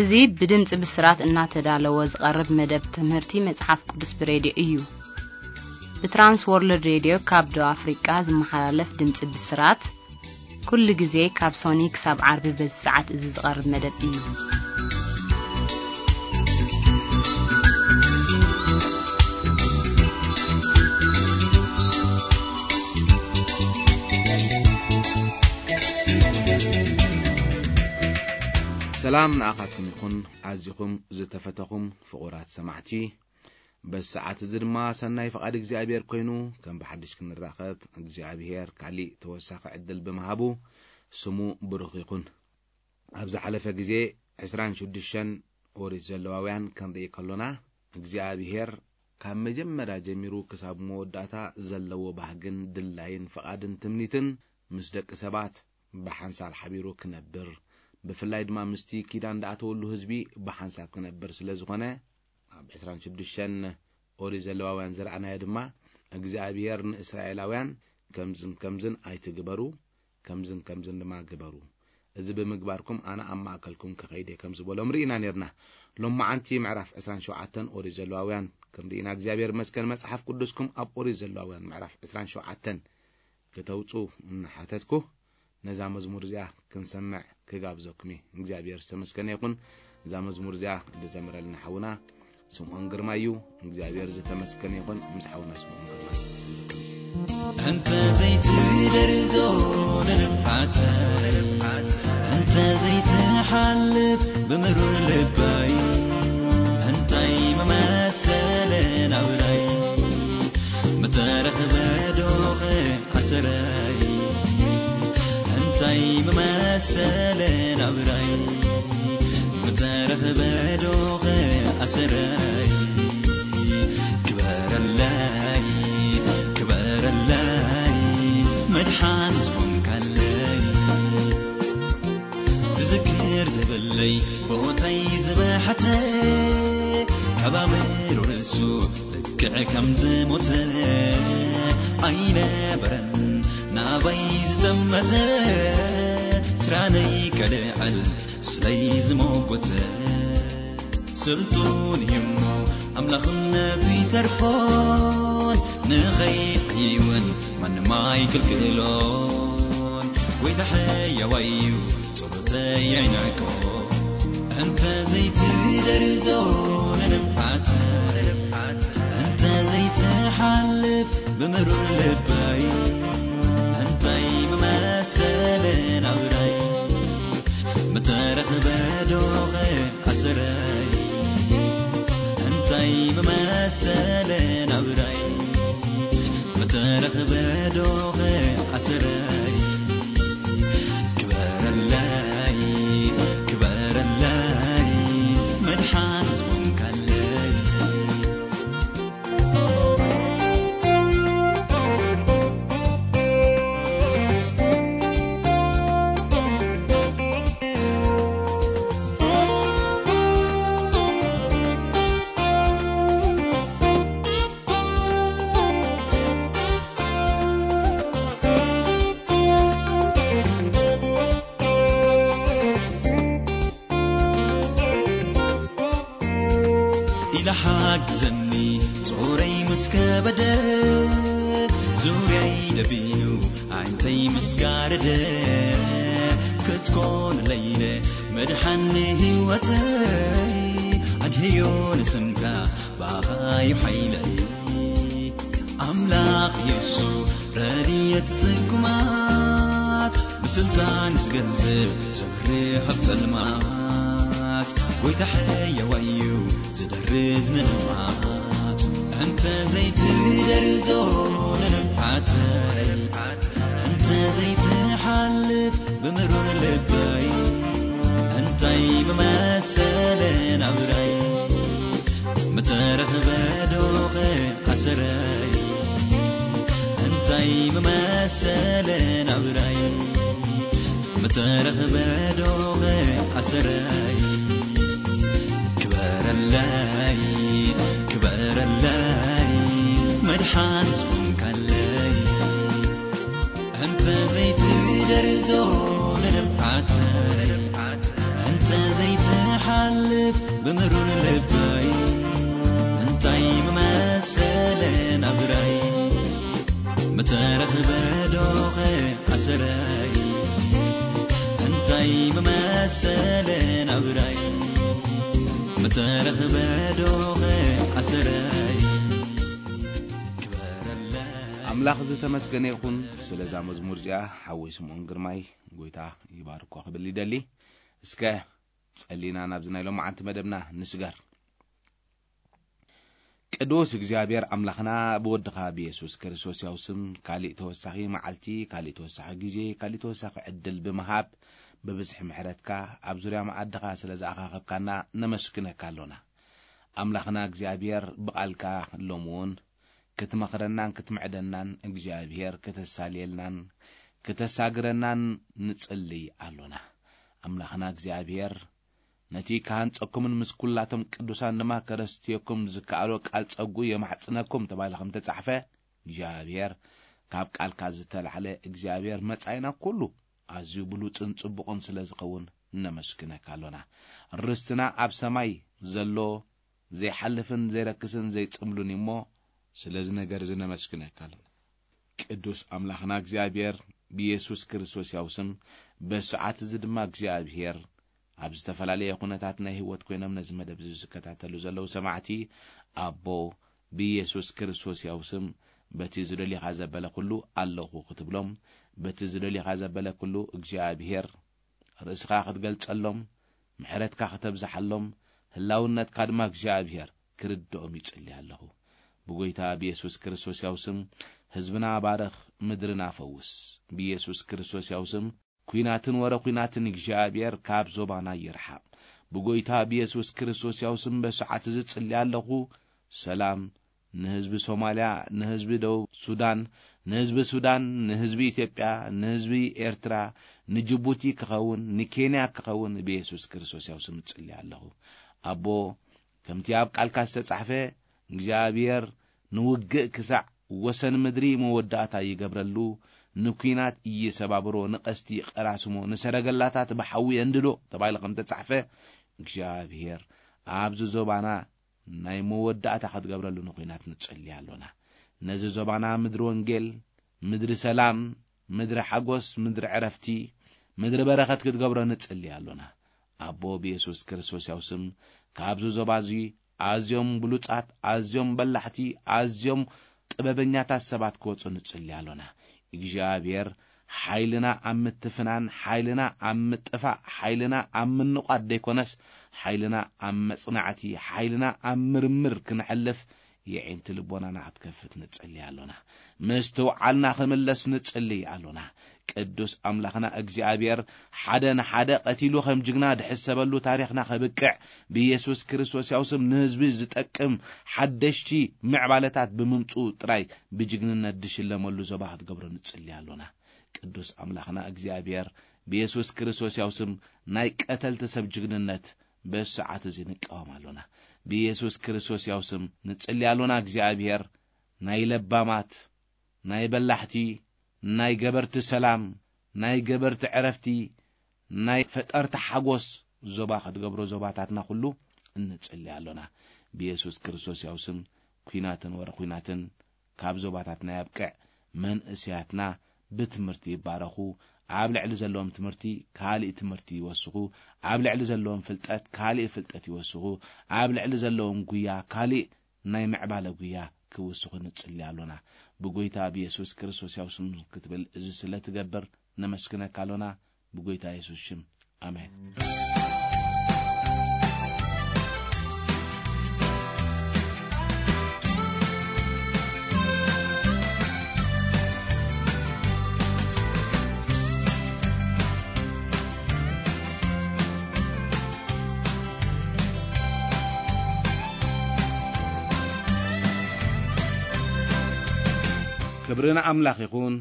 እዚ ብድምጺ ብስራት እናተዳለወ ዝቐርብ መደብ ትምህርቲ መጽሓፍ ቅዱስ ብሬድዮ እዩ። ብትራንስ ወርልድ ሬድዮ ካብ ደቡብ ኣፍሪቃ ዝመሓላለፍ ድምጺ ብስራት፣ ኩሉ ግዜ ካብ ሶኒ ክሳብ ዓርቢ በዚ ሰዓት እዚ ዝቐርብ መደብ እዩ። ሰላም ንኣኻትኩም ይኹን፣ ኣዚኹም ዝተፈተኹም ፍቑራት ሰማዕቲ። በዚ ሰዓት እዚ ድማ ሰናይ ፍቓድ እግዚኣብሔር ኮይኑ፣ ከም ብሓድሽ ክንራኸብ እግዚኣብሔር ካሊእ ተወሳኺ ዕድል ብምሃቡ ስሙ ብሩኽ ይኹን። ኣብ ዝሓለፈ ግዜ ዕስራን ሽዱሽተን ኦሪት ዘለዋውያን ክንርኢ ከሎና፣ እግዚኣብሔር ካብ መጀመርያ ጀሚሩ ክሳብ መወዳእታ ዘለዎ ባህግን ድላይን ፍቓድን ትምኒትን ምስ ደቂ ሰባት ብሓንሳብ ሓቢሩ ክነብር፣ ብፍላይ ድማ ምስቲ ኪዳን ዝኣተወሉ ህዝቢ ብሓንሳብ ክነብር ስለ ዝኾነ፣ ኣብ ዕስራን ሽዱሽተን ኦሪት ዘለዋውያን ዝረኣናዮ ድማ፣ እግዚኣብሔር ንእስራኤላውያን ከምዝን ከምዝን ኣይትግበሩ፣ ከምዝን ከምዝን ድማ ግበሩ፣ እዚ ብምግባርኩም ኣነ ኣብ ማእከልኩም ክኸይድ እየ ከም ዝበሎም ርኢና ነርና። ሎማዓንቲ ምዕራፍ ዕስራን ሸውዓተን ኦሪት ዘለዋውያን ክንርኢና እግዚኣብሔር ይመስገን። መጽሓፍ ቅዱስኩም ኣብ ኦሪት ዘለዋውያን ምዕራፍ ዕስራን ሸውዓተን ክተውጹ እናሓተትኩ፣ ነዛ መዝሙር እዚኣ ክንሰምዕ ክጋብዘኩም እየ። እግዚኣብሔር ዝተመስገነ ይኹን። እዛ መዝሙር እዚኣ ዝዘመረልና ሓውና ስምዖን ግርማ እዩ። እግዚኣብሔር ዝተመስገነ ይኹን። ምስ ሓውና ስምዖን ግርማ። أنت زيت درزو للبعتر، أنت زيت حلف بمرور لباي، أنت ممثل نبراي، مترخ بدوغ أسراي، أنت ممثل نبراي، مترخ بدوغ أسراي. ክበረለይ፣ ክበረለይ፣ መድሓን ዝኾንካለይ። ዝዝክር ዘበለይ፣ ቦተይ ዝበሓተ፣ ካብ ኣእምሮ ርእሱ ልክዕ ከም ዝሞተ ኣይነበረን ናባይ ዝጠመተ፣ ስራነይ ከልዕል ስለይ ዝሞጎተ። ስልጡን እዩ እሞ ኣምላኽነቱ ይተርፎን፣ ንኸይሕይውን ማንም ኣይክልክሎን። ጎይታ ሕያዋይ እዩ፣ ጸሎተይ ኣይንዕቆ። እንተ ዘይትደርዞ ንንብዓት፣ እንተ ዘይትሓልፍ ብምሩር ልባይ፣ እንታይ ምመሰለ ናብራይ? ምተረኽበ ዶኸ ኣሰረይ፣ እንታይ ምመሰለ ናብራይ? ምተረኽበ ዶኸ ኣሰረይ፣ ክበረለይ፣ ክበረለይ፣ መድሓን ዝኾንካለይ። ኢላ ሓግዘኒ፣ ጾረይ ምስ ከበደ፣ ዙርያይ ደቢኑ፣ ኣዒንተይ ምስ ጋረደ፣ ክትኮን ለይለ መድሓኒ ህይወተይ፣ ኣድህዮ ንስምካ፣ ብኣኻ እዩ ሓይለይ። ኣምላኽ የሱ ረድኤት ጽጉማት፣ ብስልጣን ዝገዝእ ዘብርህ ኣብ ጸልማት፣ ጎይታ ሕያዋይ እዩ ዝደርዝ ንልማት። እንተ ዘይትደርዞ ንልምዓተይ፣ እንተ ዘይትሓልፍ ብምሩር ልበይ፣ እንታይ ምመሰለ ናብራይ? ምተረኽበ ዶኸ ኣሰረይ፣ እንታይ ምመሰለ ናብራይ? ምተረኽበ ዶኸ ኣሰረይ፣ ክበረለይ፣ ክበረለይ፣ መድሓን ዝኾንካለይ። እንተ ዘይትደርዞ ንልምዓተይ፣ እንተ ዘይት ሓልፍ ብምሩር ልባይ እንታይ ምመሰለ ናብራይ ምተረኽበ ዶኸ ኣሰራይ እንታይ ምመሰለ ናብራይ ምተረኽበ ዶኸ ኣሰራይ ክበረለ ኣምላኽ ዝተመስገነ ይኹን። ስለዛ መዝሙር እዚኣ ሓወይ ስምዖን ግርማይ ጎይታ ይባርኮ ክብል ይደሊ። እስከ ጸሊና ናብዚ ናይ ሎማዓንቲ መደብና ንስገር። ቅዱስ እግዚኣብሔር ኣምላኽና ብወድኻ ብየሱስ ክርስቶስ ያው ስም ካሊእ ተወሳኺ መዓልቲ፣ ካሊእ ተወሳኺ ግዜ፣ ካሊእ ተወሳኺ ዕድል ብምሃብ ብብዝሒ ምሕረትካ ኣብ ዙርያ መኣድኻ ስለ ዝኣኻኸብካና ነመስግነካ ኣሎና። ኣምላኽና እግዚኣብሔር ብቓልካ ሎሚ እውን ክትመኽረናን ክትምዕደናን እግዚኣብሔር ክተሳልየልናን ክተሳግረናን ንጽልይ ኣሎና። ኣምላኽና እግዚኣብሔር ነቲ ክሃንጸኩምን ምስ ኩላቶም ቅዱሳን ድማ ከረስትየኩም ዝከኣሎ ቃል ጸጉ የማሕጽነኩም ተባሂሉ ከም ተጻሕፈ እግዚኣብሔር ካብ ቃልካ ዝተላዕለ እግዚኣብሔር መጻኢና ኩሉ ኣዝዩ ብሉጽን ጽቡቕን ስለ ዝኸውን ነመስግነካ ኣሎና። ርስትና ኣብ ሰማይ ዘሎ ዘይሓልፍን ዘይረክስን ዘይጽምሉን እዩ እሞ ስለዚ ነገር እዚ ነመስግነካ ኣሎና። ቅዱስ ኣምላኽና እግዚኣብሔር ብየሱስ ክርስቶስ ያው ስም በሰዓት እዚ ድማ እግዚኣብሔር ኣብ ዝተፈላለየ ኩነታት ናይ ህይወት ኮይኖም ነዚ መደብ እዚ ዝከታተሉ ዘለዉ ሰማዕቲ ኣቦ ብየሱስ ክርስቶስ ያው ስም በቲ ዝደልኻ ዘበለ ኩሉ ኣለኹ ክትብሎም በቲ ዝደልኻ ዘበለ ኩሉ እግዚኣብሔር ርእስኻ ክትገልጸሎም ምሕረትካ ክተብዝሓሎም ህላውነትካ ድማ እግዚኣብሔር ክርድኦም ይጽሊ ኣለኹ። ብጎይታ ብየሱስ ክርስቶስ ያው ስም ህዝብና ባረኽ፣ ምድርና ፈውስ። ብየሱስ ክርስቶስ ያው ስም ኩናትን ወረ ኩናትን እግዚኣብሔር ካብ ዞባና ይርሓቕ። ብጎይታ ብየሱስ ክርስቶስ ያው ስም በሰዓት እዚ ጽሊ ኣለኹ። ሰላም ንህዝቢ ሶማልያ፣ ንህዝቢ ደቡብ ሱዳን፣ ንህዝቢ ሱዳን፣ ንህዝቢ ኢትዮጵያ፣ ንህዝቢ ኤርትራ፣ ንጅቡቲ ክኸውን፣ ንኬንያ ክኸውን ብየሱስ ክርስቶስ ያው ስም ጽሊ ኣለኹ። ኣቦ ከምቲ ኣብ ቃልካ ዝተጻሕፈ እግዚኣብሔር ንውግእ ክሳዕ ወሰን ምድሪ መወዳእታ ይገብረሉ፣ ንኲናት ይሰባብሮ፣ ንቐስቲ ይቐራስሞ፣ ንሰረገላታት ብሓዊ የንድዶ ተባሂሉ ከም ተጻሕፈ እግዚኣብሔር ኣብዚ ዞባና ናይ መወዳእታ ክትገብረሉ ንኹናት ንጽሊ ኣሎና። ነዚ ዞባና ምድሪ ወንጌል፣ ምድሪ ሰላም፣ ምድሪ ሓጎስ፣ ምድሪ ዕረፍቲ፣ ምድሪ በረኸት ክትገብሮ ንጽሊ ኣሎና። ኣቦ ብየሱስ ክርስቶስ ያው ስም ካብዚ ዞባ እዚ ኣዝዮም ብሉጻት፣ ኣዝዮም በላሕቲ፣ ኣዝዮም ጥበበኛታት ሰባት ክወጹ ንጽሊ ኣሎና። እግዚኣብሔር ሓይልና ኣብ ምትፍናን ሓይልና ኣብ ምጥፋእ ሓይልና ኣብ ምንቋድ ዘይኮነስ ሓይልና ኣብ መጽናዕቲ ሓይልና ኣብ ምርምር ክንሕልፍ የዒንቲ ልቦናና ክትከፍት ንጽሊ ኣሎና። ምስትውዓልና ክምለስ ንጽሊ ኣሎና። ቅዱስ ኣምላኽና እግዚኣብሔር ሓደ ንሓደ ቀቲሉ ከም ጅግና ድሕሰበሉ ታሪኽና ከብቅዕ ብኢየሱስ ክርስቶስ ያው ስም ንህዝቢ ዝጠቅም ሓደሽቲ ምዕባለታት ብምምፅኡ ጥራይ ብጅግንነት ድሽለመሉ ዞባ ክትገብሮ ንጽሊ ኣሎና። ቅዱስ ኣምላኽና እግዚኣብሔር ብኢየሱስ ክርስቶስ ያው ስም ናይ ቀተልቲ ሰብ ጅግንነት በዚ ሰዓት እዚ ንቃወም ኣሎና። ብኢየሱስ ክርስቶስ ያው ስም ንጽሊ ኣሎና እግዚኣብሔር ናይ ለባማት ናይ በላሕቲ ናይ ገበርቲ ሰላም ናይ ገበርቲ ዕረፍቲ ናይ ፈጠርቲ ሓጎስ ዞባ ክትገብሮ ዞባታትና ኩሉ እንጽሊ ኣሎና። ብየሱስ ክርስቶስ ያው ስም ኩናትን ወረ ኩናትን ካብ ዞባታትና ያብቅዕ። መንእስያትና ብትምህርቲ ይባረኹ። ኣብ ልዕሊ ዘለዎም ትምህርቲ ካሊእ ትምህርቲ ይወስኹ። ኣብ ልዕሊ ዘለዎም ፍልጠት ካሊእ ፍልጠት ይወስኹ። ኣብ ልዕሊ ዘለዎም ጉያ ካሊእ ናይ ምዕባለ ጉያ ክውስኹ ንጽሊ ኣሎና። ብጎይታ ብየሱስ ክርስቶስ ያው ስም ክትብል እዚ ስለ ትገብር ነመስግነካ ኣሎና። ብጎይታ የሱስ ሽም ኣሜን። ክብሪ ንኣምላኽ ይኹን።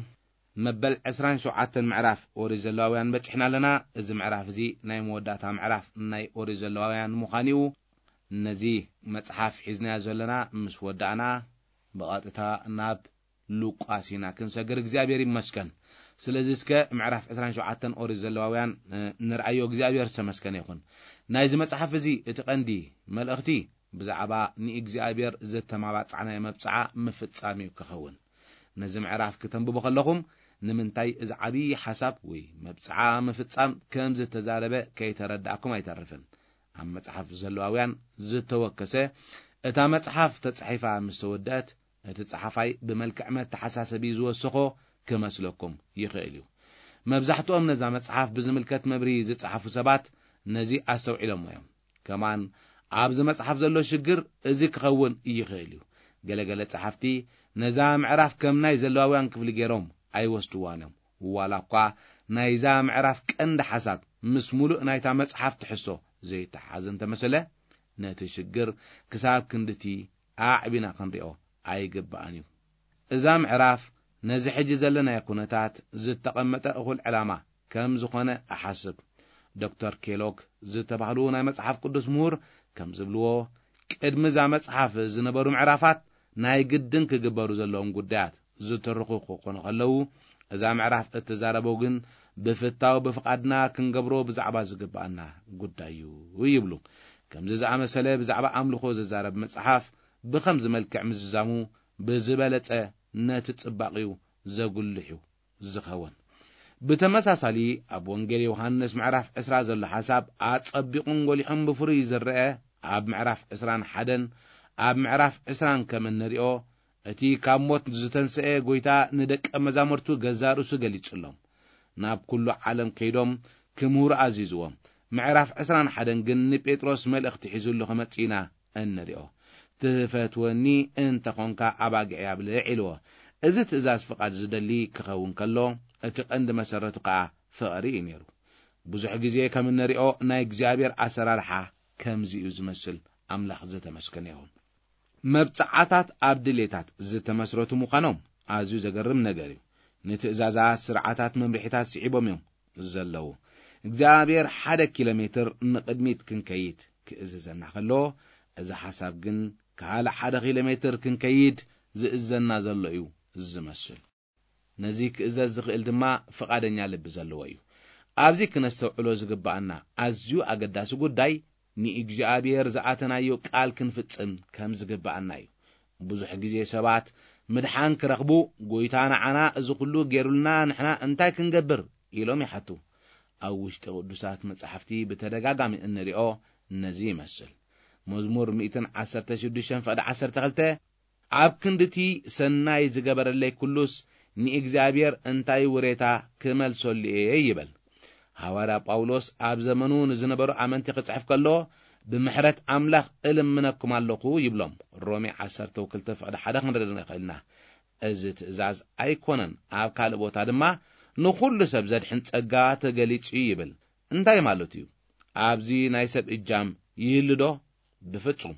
መበል ዕስራን ሸውዓተን ምዕራፍ ኦሪት ዘለዋውያን በጺሕና ኣለና። እዚ ምዕራፍ እዚ ናይ መወዳእታ ምዕራፍ ናይ ኦሪት ዘለዋውያን ምዃኑ እዩ። ነዚ መጽሓፍ ሒዝናዮ ዘለና ምስ ወዳእና ብቐጥታ ናብ ሉቃስ ኢና ክንሰግር። እግዚኣብሔር ይመስገን። ስለዚ እስከ ምዕራፍ ዕስራን ሸውዓተን ኦሪት ዘለዋውያን፣ እ፣ ንርኣዮ። እግዚኣብሔር ዝተመስገነ ይኹን። ናይዚ መጽሓፍ እዚ እቲ ቀንዲ መልእኽቲ ብዛዕባ ንእግዚኣብሔር ዝተማባጻዕናዮ መብጽዓ ምፍጻም እዩ ክኸውን። ነዚ ምዕራፍ ክተንብቡ ከለኹም፣ ንምንታይ እዚ ዓብዪ ሓሳብ ወይ መብጽዓ ምፍጻም ከም ዝተዛረበ ከይተረዳእኩም ኣይተርፍን። ኣብ መጽሓፍ ዘለዋውያን ዝተወከሰ፣ እታ መጽሓፍ ተጻሒፋ ምስ ተወደአት፣ እቲ ጸሓፋይ ብመልክዕ መተሓሳሰቢ ዝወሰኾ ክመስለኩም ይኽእል እዩ። መብዛሕትኦም ነዛ መጽሓፍ ብዝምልከት መብርሂ ዝጸሓፉ ሰባት ነዚ ኣስተውዒሎሞ እዮም። ከማን ኣብዚ መጽሓፍ ዘሎ ሽግር እዚ ክኸውን ይኽእል እዩ። ገለገለ ጸሓፍቲ ነዛ ምዕራፍ ከም ናይ ዘለዋውያን ክፍሊ ገይሮም ኣይወስድዋን እዮም። ዋላ እኳ ናይዛ ምዕራፍ ቀንዲ ሓሳብ ምስ ሙሉእ ናይታ መጽሓፍ ትሕዝቶ ዘይተሓሓዝ እንተመሰለ፣ ነቲ ሽግር ክሳብ ክንድቲ ኣዕቢና ክንሪኦ ኣይግባእን እዩ። እዛ ምዕራፍ ነዚ ሕጂ ዘለናዮ ኩነታት ዝተቐመጠ እኹል ዕላማ ከም ዝኾነ እሓስብ። ዶክተር ኬሎግ ዝተባህሉ ናይ መጽሓፍ ቅዱስ ምሁር ከም ዝብልዎ፣ ቅድሚ እዛ መጽሓፍ ዝነበሩ ምዕራፋት ናይ ግድን ክግበሩ ዘለዎም ጉዳያት ዝተርኹ ክኾኑ ከለዉ፣ እዛ ምዕራፍ እትዛረቦ ግን ብፍታው ብፍቓድና ክንገብሮ ብዛዕባ ዝግብኣና ጉዳይ እዩ ይብሉ። ከምዚ ዝኣመሰለ ብዛዕባ ኣምልኾ ዝዛረብ መጽሓፍ ብኸምዚ መልክዕ ምዝዛሙ ብዝበለጸ ነቲ ጽባቕኡ ዘጉልሕ እዩ ዝኸውን። ብተመሳሳሊ ኣብ ወንጌል ዮሃንስ ምዕራፍ ዕስራ ዘሎ ሓሳብ ኣጸቢቑን ጎሊሑን ብፍሩይ ዝረአ ኣብ ምዕራፍ ዕስራን ሓደን ኣብ ምዕራፍ ዕስራን ከም እንሪኦ፣ እቲ ካብ ሞት ዝተንስአ ጎይታ ንደቀ መዛሙርቱ ገዛ ርእሱ ገሊጹሎም። ናብ ኩሉ ዓለም ከይዶም ክምህሩ ኣዚዝዎም። ምዕራፍ ዕስራን ሓደን ግን ንጴጥሮስ መልእኽቲ ሒዙሉ ክመጽእ ኢና እንሪኦ። "ትፈትወኒ እንተኾንካ ኣባጊዐይ ኣብልዕ" ኢልዎ። እዚ ትእዛዝ ፍቓድ ዝደሊ ክኸውን ከሎ፣ እቲ ቀንዲ መሰረቱ ከኣ ፍቕሪ እዩ ነይሩ። ብዙሕ ግዜ ከም እንሪኦ ናይ እግዚኣብሔር ኣሰራርሓ ከምዚ እዩ ዝመስል። ኣምላኽ ዝተመስገነ ይኹን። መብጽዓታት ኣብ ድሌታት ዝተመስረቱ ምዃኖም ኣዝዩ ዘገርም ነገር እዩ። ንትእዛዛት፣ ስርዓታት፣ መምርሒታት ስዒቦም እዮም ዘለዉ። እግዚኣብሔር ሓደ ኪሎ ሜትር ንቕድሚት ክንከይድ ክእዝዘና ከሎ፣ እዚ ሓሳብ ግን ካልእ ሓደ ኪሎ ሜትር ክንከይድ ዝእዘና ዘሎ እዩ ዝመስል። ነዚ ክእዘዝ ዝኽእል ድማ ፍቓደኛ ልቢ ዘለዎ እዩ። ኣብዚ ክነስተውዕሎ ዝግብኣና ኣዝዩ ኣገዳሲ ጉዳይ፣ ንእግዚኣብሔር ዝኣተናዮ ቃል ክንፍጽም ከም ዝግብኣና እዩ። ብዙሕ ግዜ ሰባት ምድሓን ክረኽቡ፣ "ጎይታ ንዓና እዚ ኩሉ ገይሩልና፣ ንሕና እንታይ ክንገብር?" ኢሎም ይሓቱ። ኣብ ውሽጢ ቅዱሳት መጻሕፍቲ ብተደጋጋሚ እንሪኦ ነዚ ይመስል። መዝሙር ሚእትን ዓሰርተ ሽዱሽተን ፍቕዲ ዓሰርተ ክልተ፣ "ኣብ ክንድቲ ሰናይ ዝገበረለይ ኩሉስ ንእግዚኣብሔር እንታይ ውሬታ ክመልሰሉ እየ?" ይበል። ሃዋርያ ጳውሎስ ኣብ ዘመኑ ንዝነበሩ ኣመንቲ ክጽሕፍ ከሎ፣ "ብምሕረት ኣምላኽ እልምነኩም ኣለኹ" ይብሎም። ሮሜ ዓሰርተ ክልተ ፍቕዲ ሓደ ክንርኢ ንኽእል ኢና። እዚ ትእዛዝ ኣይኮነን፣ ኣብ ካልእ ቦታ ድማ፣ "ንኹሉ ሰብ ዘድሕን ጸጋ ተገሊጹ" እዩ ይብል። እንታይ ማለቱ እዩ? ኣብዚ ናይ ሰብ እጃም ይህሉ ዶ? ብፍጹም።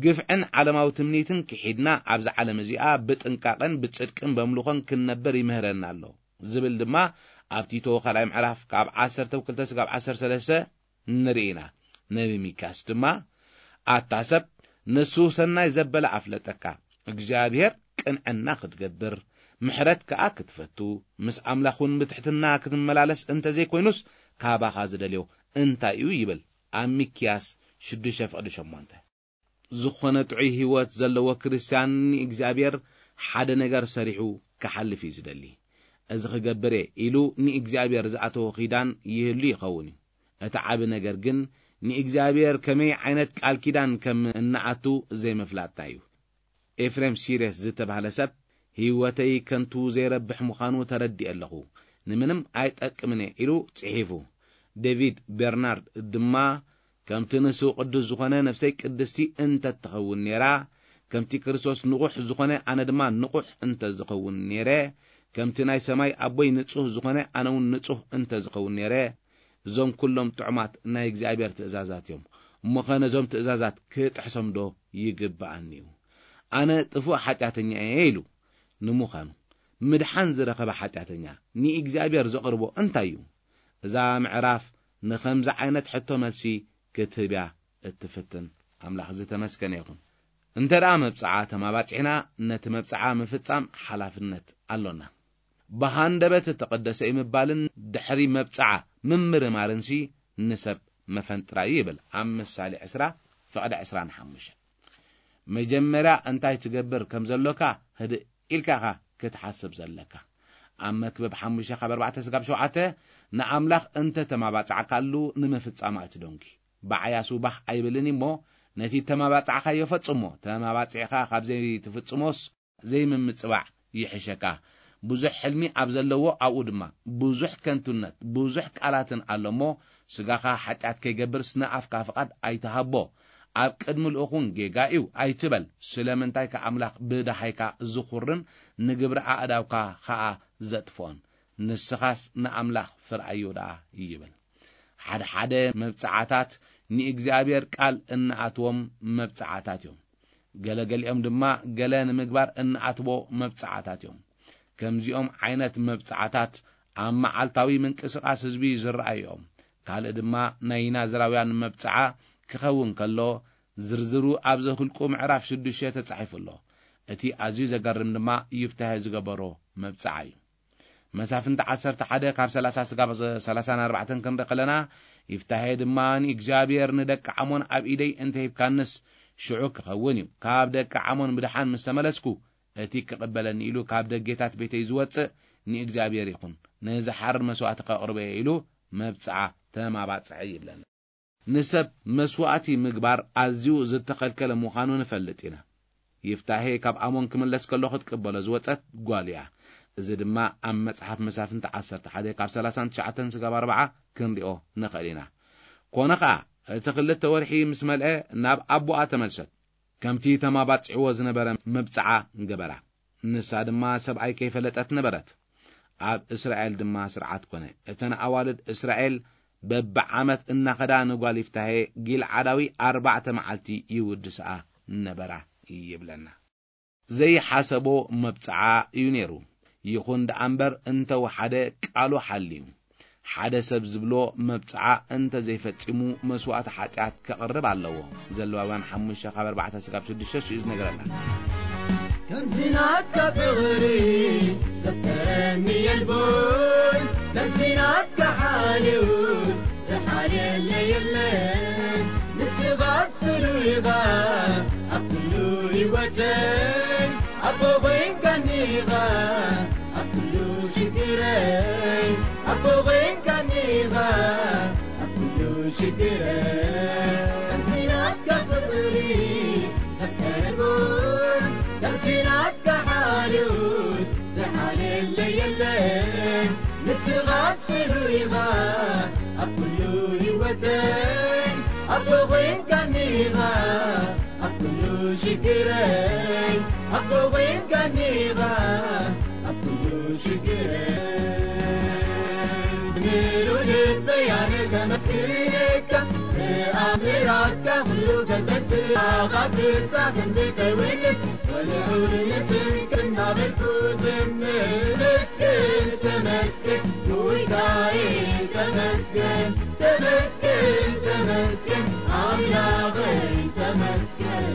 ግፍዕን ዓለማዊ ትምኒትን ክሒድና፣ ኣብዛ ዓለም እዚኣ ብጥንቃቐን ብጽድቅን በምልኾን ክንነብር ይምህረና ኣሎ ዝብል ድማ ኣብ ቲቶ ካልኣይ ምዕራፍ ካብ ዓሰርተ ክልተ ስጋብ ዓሰርተ ሰለስተ ንርኢ ኢና። ነቢ ሚክያስ ድማ፣ "ኣታ ሰብ፣ ንሱ ሰናይ ዘበለ ኣፍለጠካ፣ እግዚኣብሔር ቅንዕና ክትገብር፣ ምሕረት ከኣ ክትፈቱ፣ ምስ ኣምላኽ እውን ብትሕትና ክትመላለስ እንተዘይኮይኑስ፣ ካባኻ ዝደልዮ እንታይ እዩ?" ይብል ኣብ ሚክያስ ሽዱሽተ ፍቕዲ ሸሞንተ። ዝኾነ ጥዑይ ህይወት ዘለዎ ክርስትያን ንእግዚኣብሔር ሓደ ነገር ሰሪሑ ክሓልፍ እዩ ዝደሊ። "እዚ ክገብር እየ" ኢሉ ንእግዚኣብሔር ዝኣተዎ ኪዳን ይህሉ ይኸውን እዩ። እቲ ዓቢ ነገር ግን ንእግዚኣብሔር ከመይ ዓይነት ቃል ኪዳን ከም እንኣቱ ዘይምፍላጥና እዩ። ኤፍሬም ሲሬስ ዝተባህለ ሰብ፣ "ህይወተይ ከንቱ ዘይረብሕ ምዃኑ ተረዲኤ ኣለኹ፣ ንምንም ኣይጠቅምን እየ" ኢሉ ጽሒፉ። ዴቪድ ቤርናርድ ድማ፣ "ከምቲ ንሱ ቅዱስ ዝኾነ ነፍሰይ ቅድስቲ እንተትኸውን ነይራ፣ ከምቲ ክርስቶስ ንቑሕ ዝኾነ ኣነ ድማ ንቑሕ እንተዝኸውን ነይረ፣ ከምቲ ናይ ሰማይ ኣቦይ ንጹህ ዝኾነ ኣነ እውን ንጹህ እንተዝኸውን ነይረ፣ እዞም ኩሎም ጥዑማት ናይ እግዚኣብሔር ትእዛዛት እዮም። እሞኸ ነዞም ትእዛዛት ክጥሕሶም ዶ ይግብኣኒ እዩ? ኣነ ጥፉእ ሓጢኣተኛ እየ" ኢሉ። ንምዃኑ፣ ምድሓን ዝረኸበ ሓጢኣተኛ ንእግዚኣብሔር ዘቕርቦ እንታይ እዩ? እዛ ምዕራፍ ንኸምዚ ዓይነት ሕቶ መልሲ ክትህብ እያ እትፍትን። ኣምላኽ ዝተመስገነ ይኹን። እንተ ደኣ መብጽዓ ተማባጺዕና፣ ነቲ መብጽዓ ምፍጻም ሓላፍነት ኣሎና። ብሃንደበት እተቐደሰ እዩ ምባልን ድሕሪ መብጽዓ ምምርማርንሲ ንሰብ መፈንጥራ እዩ ይብል ኣብ ምሳሌ ዕስራ ፍቕዲ ዕስራን ሓሙሽተን። መጀመርያ እንታይ ትገብር ከም ዘሎካ ህድእ ኢልካ ኢኻ ክትሓስብ ዘለካ። ኣብ መክብብ ሓሙሽተ ካብ ኣርባዕተ ስጋብ ሸውዓተ ንኣምላኽ እንተ ተማባጻዕካሉ ንምፍጻማ እቲ ደንጉ። ብዓያሱ ባህ ኣይብልን እሞ ነቲ ተማባጻዕካዮ ፈጽሞ። ተማባጺዕካ ካብ ዘይትፍጽሞስ ዘይምምጽባዕ ይሕሸካ። ብዙሕ ሕልሚ ኣብ ዘለዎ ኣብኡ ድማ ብዙሕ ከንቱነት፣ ብዙሕ ቃላትን ኣሎ እሞ ስጋኻ ሓጢኣት ከይገብርስ ንኣፍካ ፍቓድ ኣይትሃቦ። ኣብ ቅድሚ ልኡኹን ጌጋ እዩ ኣይትበል። ስለምንታይ ከኣምላኽ ብደሃይካ ዝኹርን ንግብሪ ኣእዳውካ ኸኣ ዘጥፍኦን። ንስኻስ ንኣምላኽ ፍርኣዮ ደኣ ይብል። ሓደ ሓደ መብጽዓታት ንእግዚኣብሔር ቃል እንኣትዎም መብጽዓታት እዮም። ገለ ገሊኦም ድማ ገለ ንምግባር እንኣትዎ መብጽዓታት እዮም። ከምዚኦም ዓይነት መብጽዓታት ኣብ መዓልታዊ ምንቅስቓስ ህዝቢ ዝረኣዩ እዮም። ካልእ ድማ ናይ ናዝራውያን መብጽዓ ክኸውን ከሎ ዝርዝሩ ኣብ ዘሁልቁ ምዕራፍ ሽዱሽተ ተጻሒፉ ኣሎ። እቲ ኣዝዩ ዘገርም ድማ ይፍታሄ ዝገበሮ መብጽዓ እዩ። መሳፍንቲ ዓሰርተ ሓደ ካብ ሰላሳ ስጋብ ሰላሳን ኣርባዕተን ክንርኢ ከለና ይፍታሄ ድማ ንእግዚኣብሔር ንደቂ ዓሞን ኣብ ኢደይ እንተሂብካንስ ሽዑ ክኸውን እዩ። ካብ ደቂ ዓሞን ብደሓን ምስ ተመለስኩ እቲ ክቕበለኒ ኢሉ ካብ ደጌታት ቤተይ ዝወጽእ ንእግዚኣብሔር ይኹን። ንዝሓርድ መስዋእቲ ከቕርቦ እየ ኢሉ መብጽዓ ተማባጽዐ ይብለና። ንሰብ መስዋእቲ ምግባር ኣዝዩ ዝተኸልከለ ምዃኑ ንፈልጥ ኢና። ይፍታሄ ካብ ኣሞን ክምለስ ከሎ ክትቅበሎ ዝወጸት ጓል እያ። እዚ ድማ ኣብ መጽሓፍ መሳፍንቲ ዓሰርተ ሓደ ካብ ሰላሳን ትሽዓተን ስጋብ ኣርባዓ ክንሪኦ ንኽእል ኢና። ኮነ ኸኣ እቲ ክልተ ወርሒ ምስ መልአ ናብ ኣቦኣ ተመልሰት። ከምቲ ተማባጽዕዎ ዝነበረ መብጽዓ ገበራ። ንሳ ድማ ሰብኣይ ከይፈለጠት ነበረት። ኣብ እስራኤል ድማ ስርዓት ኮነ። እተን ኣዋልድ እስራኤል በብዓመት እናኸዳ ንጓል ይፍታሄ ጊልዓዳዊ ኣርባዕተ መዓልቲ ይውድስኣ ነበራ ይብለና። ዘይሓሰቦ መብጽዓ እዩ ነይሩ። ይኹን ደኣ እምበር እንተወሓደ ቃሉ ሓልዩ። ሓደ ሰብ ዝብሎ መብጽዓ እንተ ዘይፈጺሙ መስዋእቲ ሓጢኣት ከቕርብ ኣለዎ። ዘለዋውያን ሓሙሽተ ካብ ኣርባዕተ ስጋብ ሽዱሽተ ስኡ ዝነገረና። ከምዚ ናትካ ፍቕሪ ዘፍቀረኒ የልቦን፣ ከምዚ ናትካ ሓልዩ ዝሓልየለ የለን። ንስኻ ፍሉይ ኢኻ ኣብ ኩሉ ህይወተይ፣ ኣቦ ኮይንካኒ ኢኻ ኣብ ኩሉ ሽግረይ፣ ኣቦ ኮይንካኒ ኢኻ ኣብ ኩሉ ሽግረይ። ከምዚ ናትካ ፍቕሪ ዘፍቀረኒ፣ ከምዚ ናትካ ሓልዮት ዝሓልየለይ የለን። ንስኻ ፍሉይ ኢኻ ኣብ ኩሉ ህይወተይ፣ ኣቦ ኮይንካኒ ኢኻ ኣብ ኩሉ ሽግረይ፣ ኣቦ ኮይንካኒ ኢኻ ኣብ ኩሉ ሽግረይ። ምሉ ልበይ ኣነ ከመስግነካ፣ ብኣምራትካ ኩሉ ከዘንትኻ፣ ካብ ፍሳ ክንዲ ተውልድ ወልዑል ንስምክ እናበልኩ ዝምር። ተመስገን፣ ተመስገን፣ ጎይታዬ ተመስገን፣ ተመስገን፣ ተመስገን፣ ኣምላኸይ ተመስገን።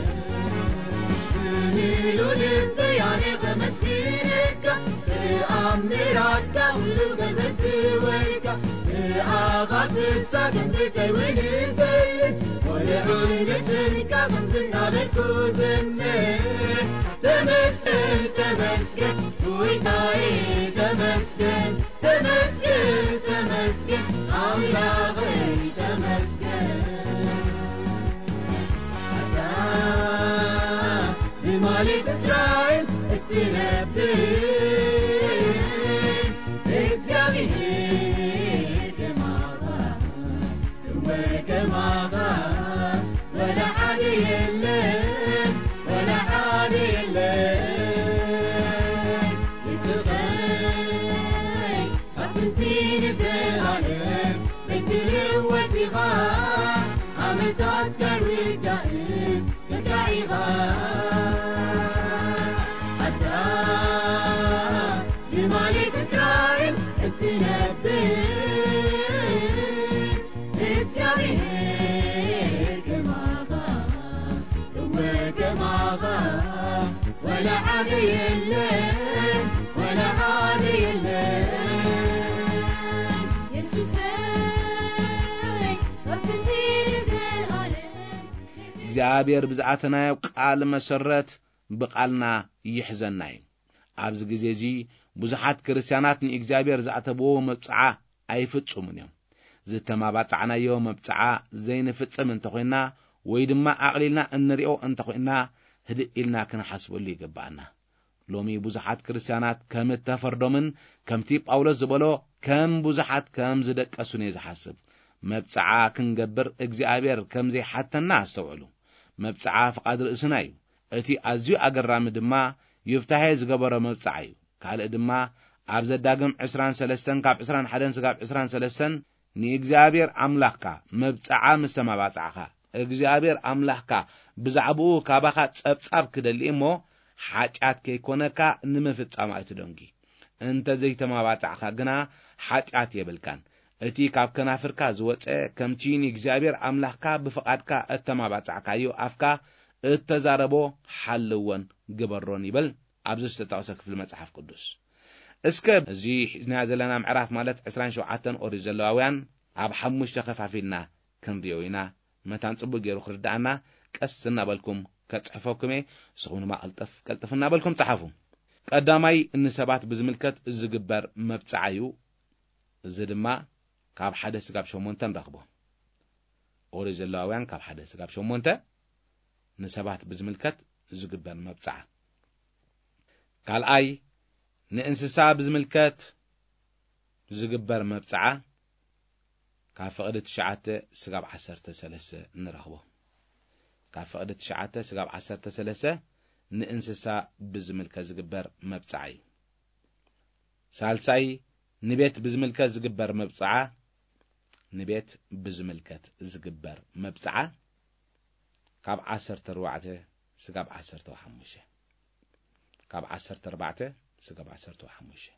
ብምሉ ልበይ ኣነ ከመስግነካ፣ ብኣምራትካ ኩሉ ከዘንትወልካ፣ ብኣኻ ፍሳ ክንዲ ተውልድ ዘልን፣ ወልዑል ንስምካ ክንዲ እናበልኩ ዝምር። ተመስገን፣ ተመስገን፣ ጎይታዬ ተመስገን፣ ተመስገን፣ ተመስገን፣ ኣምላኸይ ተመስገን። ኣታ ብማሌት እስራኤል እትነብር እግዚኣብሔር ከማኻ እወ ከማኻ ወላ ሓደ የለን፣ ወላ ሓደ የለን። የሱሰይ፣ ኣብ ጥንቲ ንዘለኣለም ዘይትልወጥ ኢኻ፣ ዓመታትካ ኣይውዳእን፣ ከዳኢኻ። ኣታ ብማሌት እስራኤል እትነብር እግዚኣብሔር ከማኻ፣ እወ ከማኻ፣ ወላ ሓደ የለን፣ ወላ ሓደ የለን። እግዚኣብሔር ብዝኣተናዮ ቃል መሰረት ብቓልና ይሕዘና እዩ። ኣብዚ ግዜ እዚ ብዙሓት ክርስትያናት ንእግዚኣብሔር ዝኣተብዎ መብጽዓ ኣይፍጽሙን እዮም። ዝተማባጻዕናዮ መብጽዓ ዘይንፍጽም እንተኾይንና ወይ ድማ ኣቕሊልና እንሪኦ እንተኾይንና፣ ህድእ ኢልና ክንሓስበሉ ይግብኣና። ሎሚ ብዙሓት ክርስትያናት ከም እተፈርዶምን ከምቲ ጳውሎስ ዝበሎ ከም ብዙሓት ከም ዝደቀሱን እየ ዝሓስብ። መብጽዓ ክንገብር እግዚኣብሔር ከም ዘይሓተና ኣስተውዕሉ። መብጽዓ ፍቓድ ርእስና እዩ። እቲ ኣዝዩ ኣገራሚ ድማ ዮፍታሄ ዝገበሮ መብጽዓ እዩ። ካልእ ድማ ኣብ ዘዳግም ዕስራን ሰለስተን ካብ ዕስራን ሓደን ስጋብ ዕስራን ሰለስተን ንእግዚኣብሔር ኣምላኽካ መብጽዓ ምስ ተማባጻዕኻ፣ እግዚኣብሔር ኣምላኽካ ብዛዕባኡ ካባኻ ጸብጻብ ክደሊ እሞ፣ ሓጢኣት ከይኮነካ ንምፍጻም ኣይትደንጊ። እንተ ዘይተማባጻዕካ ግና ሓጢኣት የብልካን። እቲ ካብ ከናፍርካ ዝወጸ፣ ከምቲ ንእግዚኣብሔር ኣምላኽካ ብፍቓድካ እተማባጻዕካዮ ኣፍካ እተዛረቦ ሓልወን ግበሮን ይብል ኣብዚ ዝተጠቕሰ ክፍሊ መጽሓፍ ቅዱስ። እስከ እዚ ሒዝናዮ ዘለና ምዕራፍ ማለት ዕስራን ሸውዓተን ኦሪት ዘለዋውያን ኣብ ሓሙሽተ ከፋፊልና ክንሪኦ ኢና። መታን ጽቡቅ ገይሩ ክርድኣና ቀስ እናበልኩም ከጽሕፈኩም እየ። ንስኹም ድማ ቀልጠፍ ቀልጠፍ እናበልኩም ጸሓፉ። ቀዳማይ ንሰባት ብዝምልከት ዝግበር መብጽዓ እዩ። እዚ ድማ ካብ ሓደ ስጋብ ሸሞንተ ንረኽቦ። ኦሪት ዘለዋውያን ካብ ሓደ ስጋብ ሸሞንተ ንሰባት ብዝምልከት ዝግበር መብጽዓ። ካልኣይ ንእንስሳ ብዝምልከት ዝግበር መብጽዓ ካብ ፍቕዲ ትሽዓተ ስጋብ ዓሰርተ ሰለስተ ንረኽቦ። ካብ ፍቕዲ ትሽዓተ ስጋብ ዓሰርተ ሰለስተ ንእንስሳ ብዝምልከት ዝግበር መብጽዓ እዩ። ሳልሳይ ንቤት ብዝምልከት ዝግበር መብጽዓ፣ ንቤት ብዝምልከት ዝግበር መብጽዓ ካብ ዓሰርተ ኣርባዕተ ስጋብ ዓሰርተ ሓሙሽተ፣ ካብ ዓሰርተ ኣርባዕተ ስጋብ ዓሰርተ ሓሙሽተ።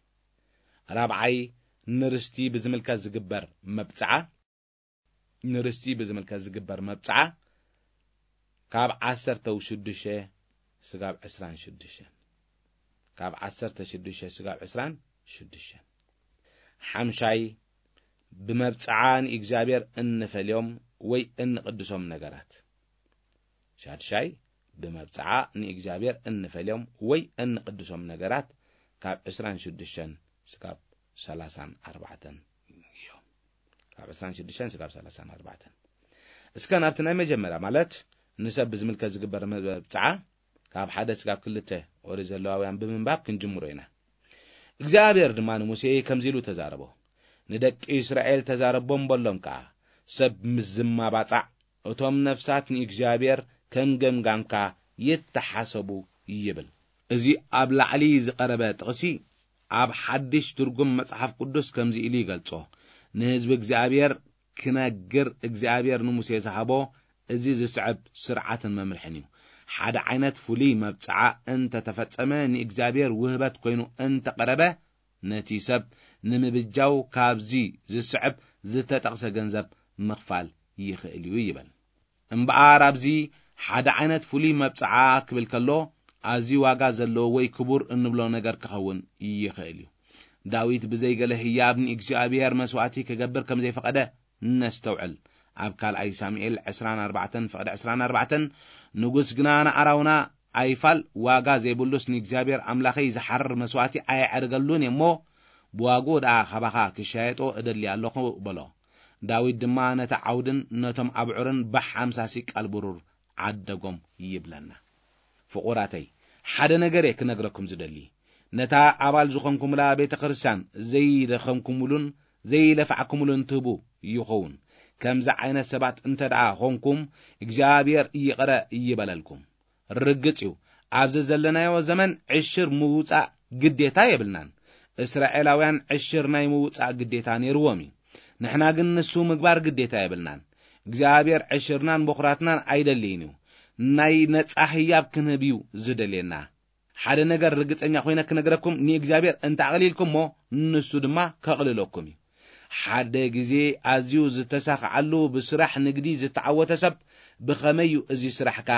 ራብዓይ ንርስቲ ብዝምልከት ዝግበር መብጽዓ፣ ንርስቲ ብዝምልከት ዝግበር መብጽዓ ካብ ዓሰርተ ሽዱሽተ ስጋብ ዕስራን ሽዱሽተን፣ ካብ ዓሰርተ ሽዱሽተ ስጋብ ዕስራን ሽዱሽተን። ሓምሻይ ብመብጽዓ ንእግዚኣብሔር እንፈልዮም ወይ እንቕድሶም ነገራት። ሻድሻይ ብመብጽዓ ንእግዚኣብሔር እንፈልዮም ወይ እንቕድሶም ነገራት ካብ ዕስራን ሽዱሽተን ስጋብ ሰላሳን ኣርባዕተን እዮም። ካብ ዕስራን ሽዱሽተን ስጋብ ሰላሳን ኣርባዕተን። እስከ ናብቲ ናይ መጀመርያ ማለት ንሰብ ብዝምልከት ዝግበር መብጽዓ ካብ ሓደ ስጋብ ክልተ ኦሪት ዘለዋውያን ብምንባብ ክንጅምሮ ኢና። እግዚኣብሔር ድማ ንሙሴ ከምዚ ኢሉ ተዛረቦ። ንደቂ እስራኤል ተዛረቦም በሎም ከኣ፣ ሰብ ምስ ዝማባጻዕ እቶም ነፍሳት ንእግዚኣብሔር ከም ገምጋምካ ይተሓሰቡ ይብል። እዚ ኣብ ላዕሊ ዝቐረበ ጥቕሲ ኣብ ሓድሽ ትርጉም መጽሓፍ ቅዱስ ከምዚ ኢሉ ይገልጾ። ንህዝቢ እግዚኣብሔር ክነግር እግዚኣብሔር ንሙሴ ዝሃቦ እዚ ዝስዕብ ስርዓትን መምርሕን እዩ። ሓደ ዓይነት ፍሉይ መብጽዓ እንተተፈጸመ ንእግዚኣብሔር ውህበት ኮይኑ እንተቐረበ ነቲ ሰብ ንምብጃው ካብዚ ዝስዕብ ዝተጠቕሰ ገንዘብ ምኽፋል ይኽእል እዩ ይበል። እምበኣር ኣብዚ ሓደ ዓይነት ፍሉይ መብጽዓ ክብል ከሎ ኣዝዩ ዋጋ ዘለዎ ወይ ክቡር እንብሎ ነገር ክኸውን ይኽእል እዩ። ዳዊት ብዘይ ገለ ህያብ ንእግዚኣብሔር መስዋእቲ ክገብር ከም ዘይፈቐደ ነስተውዕል። ኣብ ካልኣይ ሳሙኤል ዕስራን ኣርባዕተን ፍቕዲ ዕስራን ኣርባዕተን ንጉስ ግና ንኣራውና ኣይፋል ዋጋ ዘይብሉስ ንእግዚኣብሔር ኣምላኸይ ዝሓርር መስዋእቲ ኣየዕርገሉን እየ እሞ ብዋግኡ ደኣ ካባኻ ክሻየጦ እደሊ ኣለኹ በሎ። ዳዊት ድማ ነቲ ዓውድን ነቶም ኣብዑርን ብሓምሳ ሲቃል ብሩር ዓደጎም ይብለና። ፍቑራተይ፣ ሓደ ነገር እየ ክነግረኩም ዝደሊ። ነታ ኣባል ዝኾንኩምላ ቤተ ክርስቲያን ዘይደኸምኩምሉን ዘይለፋዕኩምሉን ትህቡ ይኸውን። ከምዚ ዓይነት ሰባት እንተ ደኣ ኾንኩም እግዚኣብሔር ይቕረ ይበለልኩም። ርግጽ እዩ፣ ኣብዚ ዘለናዮ ዘመን ዕሽር ምውጻእ ግዴታ የብልናን። እስራኤላውያን ዕሽር ናይ ምውጻእ ግዴታ ነይርዎም እዩ። ንሕና ግን ንሱ ምግባር ግዴታ የብልናን። እግዚኣብሔር ዕሽርናን በኹራትናን ኣይደልይን እዩ። ናይ ነጻ ህያብ ክንህብ እዩ ዝደልየና። ሓደ ነገር ርግጸኛ ኮይነ ክነግረኩም፣ ንእግዚኣብሔር እንተ ኣቕሊልኩሞ ንሱ ድማ ከቕልለኩም እዩ። ሓደ ግዜ ኣዝዩ ዝተሳኽዓሉ ብስራሕ ንግዲ ዝተዓወተ ሰብ ብኸመይ እዩ እዚ ስራሕካ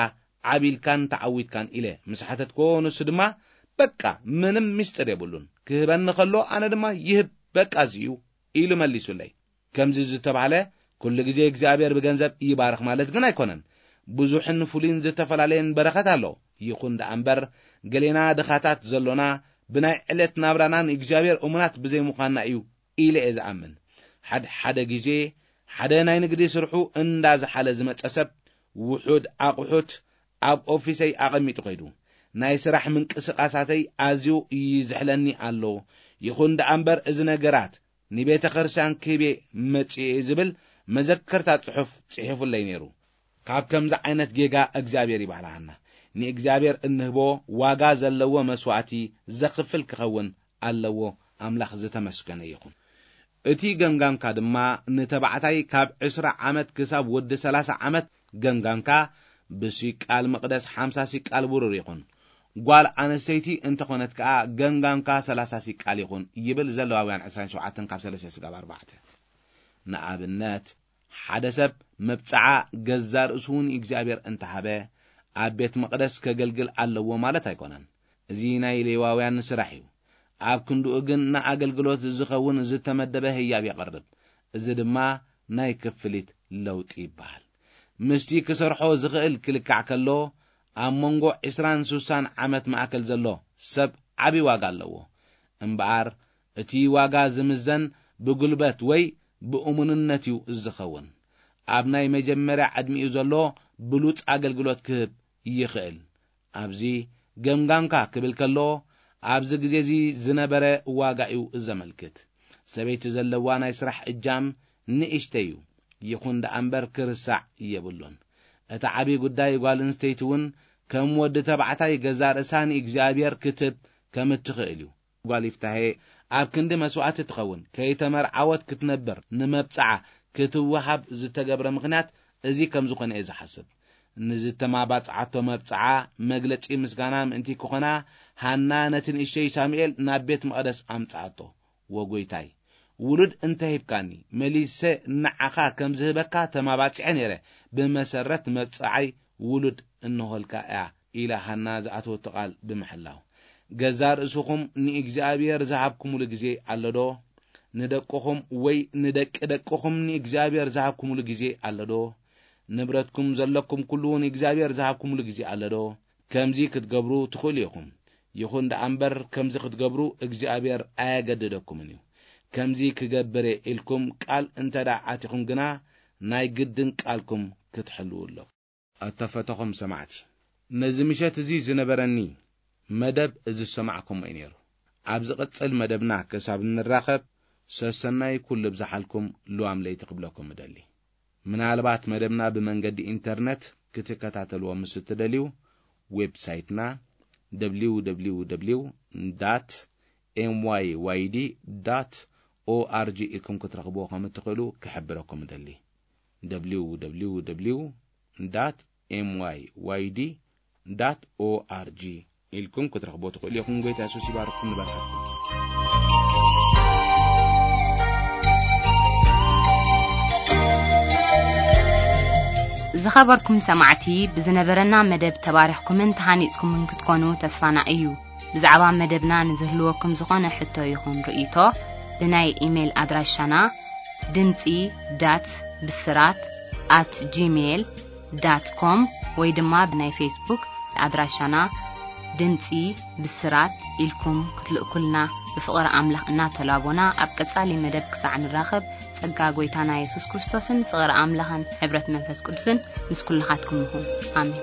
ዓቢልካን ተዓዊትካን ኢለ ምስ ሓተትክዎ፣ ንሱ ድማ በቃ ምንም ምስጢር የብሉን፣ ክህበኒ ከሎ ኣነ ድማ ይህብ፣ በቃ እዚ እዩ ኢሉ መሊሱለይ። ከምዚ ዝተባህለ ኩሉ ግዜ እግዚኣብሔር ብገንዘብ ይባርኽ ማለት ግን ኣይኮነን። ብዙሕን ፍሉይን ዝተፈላለየን በረኸት ኣሎ። ይኹን ደኣ እምበር፣ ገሌና ድኻታት ዘሎና ብናይ ዕለት ናብራና ንእግዚኣብሔር እሙናት ብዘይምዃንና እዩ ኢለ እየ ዝኣምን። ሓደ ሓደ ግዜ ሓደ ናይ ንግዲ ስርሑ እንዳዝሓለ ዝመጸ ሰብ፣ ውሑድ ኣቑሑት ኣብ ኦፊሰይ ኣቐሚጡ ከይዱ፣ ናይ ስራሕ ምንቅስቓሳተይ ኣዝዩ ይዝሕለኒ ኣሎ። ይኹን ደኣ እምበር፣ እዚ ነገራት ንቤተ ክርስቲያን ክህቤ መጺኤ ዝብል መዘከርታ ጽሑፍ ጽሒፉለይ ነይሩ። ካብ ከምዚ ዓይነት ጌጋ እግዚኣብሔር ይባህልሃና። ንእግዚኣብሔር እንህቦ ዋጋ ዘለዎ መስዋዕቲ ዘኽፍል ክኸውን ኣለዎ። ኣምላኽ ዝተመስገነ ይኹን። እቲ ገምጋምካ ድማ ንተባዕታይ ካብ ዕስራ ዓመት ክሳብ ወዲ ሰላሳ ዓመት ገምጋምካ ብሲቃል መቕደስ ሓምሳ ሲቃል ብሩር ይኹን። ጓል ኣንስተይቲ እንተኾነት ከኣ ገምጋምካ ሰላሳ ሲቃል ይኹን ይብል ዘለዋውያን ዕስራን ሸውዓተን ካብ ሰለስተ ስጋብ ኣርባዕተ። ንኣብነት፣ ሓደ ሰብ መብጽዓ ገዛ ርእሱ ንእግዚኣብሔር እንተሃበ፣ ኣብ ቤት መቕደስ ከገልግል ኣለዎ ማለት ኣይኮነን። እዚ ናይ ሌዋውያን ስራሕ እዩ። ኣብ ክንድኡ ግን ንኣገልግሎት ዝኸውን ዝተመደበ ህያብ የቐርብ። እዚ ድማ ናይ ክፍሊት ለውጢ ይበሃል። ምስቲ ክሰርሖ ዝኽእል ክልካዕ ከሎ፣ ኣብ መንጎ ዕስራን ስሳን ዓመት ማእከል ዘሎ ሰብ ዓቢ ዋጋ ኣለዎ። እምበኣር፣ እቲ ዋጋ ዝምዘን ብጉልበት ወይ ብእሙንነት እዩ ዝኸውን። ኣብ ናይ መጀመርያ ዕድሚኡ ዘሎ ብሉጽ ኣገልግሎት ክህብ ይኽእል። ኣብዚ ገምጋምካ ክብል ከሎ፣ ኣብዚ ግዜ እዚ ዝነበረ ዋጋ እዩ ዘመልክት። ሰበይቲ ዘለዋ ናይ ስራሕ እጃም ንእሽተይ እዩ። ይኹን ደኣ እምበር፣ ክርሳዕ የብሉን። እቲ ዓቢ ጉዳይ፣ ጓል ኣንስተይቲ እውን ከም ወዲ ተባዕታይ ገዛ ርእሳ ንእግዚኣብሔር ክትህብ ከም እትኽእል እዩ። ጓል ይፍታሄ ኣብ ክንዲ መስዋዕቲ ትኸውን፣ ከይተመርዓወት ክትነብር፣ ንመብጽዓ ክትወሃብ ዝተገብረ ምኽንያት እዚ ከም ዝኾነ እየ ዝሓስብ። ንዝተማባጽዓቶ መብጽዓ መግለጺ ምስጋና ምእንቲ ክኾና፣ ሃና ነቲ ንእሽተይ ሳሙኤል ናብ ቤት መቕደስ ኣምጽኣቶ። "ወጎይታይ፣ ውሉድ እንተ ሂብካኒ፣ መሊሰ ንዓኻ ከም ዝህበካ ተማባጺዐ ነይረ። ብመሰረት መብጽዓይ ውሉድ እንሆልካ እያ" ኢላ ሃና ዝኣተወቶ ቃል ብምሕላው፣ "ገዛ ርእስኹም ንእግዚኣብሔር ዝሃብኩምሉ ግዜ ኣሎ ዶ? ንደቅኹም ወይ ንደቂ ደቅኹም ንእግዚኣብሔር ዝሃብኩምሉ ግዜ ኣሎ ዶ? ንብረትኩም ዘለኩም ኩሉ ንእግዚኣብሔር ዝሃብኩምሉ ግዜ ኣሎ ዶ?" ከምዚ ክትገብሩ ትኽእሉ ኢኹም። ይኹን ደኣ እምበር፣ ከምዚ ክትገብሩ እግዚኣብሔር ኣየገድደኩምን እዩ። ከምዚ ክገብር እየ ኢልኩም ቃል እንተ ደኣ ኣቲኹም ግና፣ ናይ ግድን ቃልኩም ክትሕልዉ ኣለኩም። ኣተፈተኹም ሰማዕቲ፣ ነዚ ምሸት እዚ ዝነበረኒ መደብ እዚ ዝሰማዕኩሞ እዩ ነይሩ። ኣብ ዝቕጽል መደብና ክሳብ እንራኸብ፣ ሰሰናይ ኩሉ ብዝሓልኩም ልዋም ለይቲ ክብለኩም እደሊ። ምናልባት መደብና ብመንገዲ ኢንተርነት ክትከታተልዎ ምስ እትደልዩ፣ ዌብሳይትና ደብሊው ደብሊው ደብሊው ዳት ኤም ዋይ ዋይ ዲ ዳት ኦ ኣር ጂ ኢልኩም ክትረኽብዎ ከም እትኽእሉ ክሕብረኩም እደሊ። ደብሊው ደብሊው ደብሊው ዳት ኤም ዋይ ዋይ ዲ ዳት ኦ ኣር ጂ ኢልኩም ክትረኽብዎ ትኽእሉ ኢኹም። ጎይታ የሱስ ይባርኽኩም፣ ንባርኻትኩም። ዝኸበርኩም ሰማዕቲ፣ ብዝነበረና መደብ ተባሪኽኩምን ተሃኒጽኩምን ክትኮኑ ተስፋና እዩ። ብዛዕባ መደብና ንዝህልወኩም ዝኾነ ሕቶ ይኹን ርእይቶ፣ ብናይ ኢሜይል ኣድራሻና ድምጺ ዳት ብስራት ኣት ጂሜይል ዳት ኮም ወይ ድማ ብናይ ፌስቡክ ኣድራሻና ድምጺ ብስራት ኢልኩም ክትልእኩልና ብፍቕሪ ኣምላኽ እናተላቦና፣ ኣብ ቀጻሊ መደብ ክሳዕ ንራኸብ፣ ጸጋ ጐይታና የሱስ ክርስቶስን ፍቕሪ ኣምላኽን ሕብረት መንፈስ ቅዱስን ምስ ኩልኻትኩም ይኹን። ኣሜን።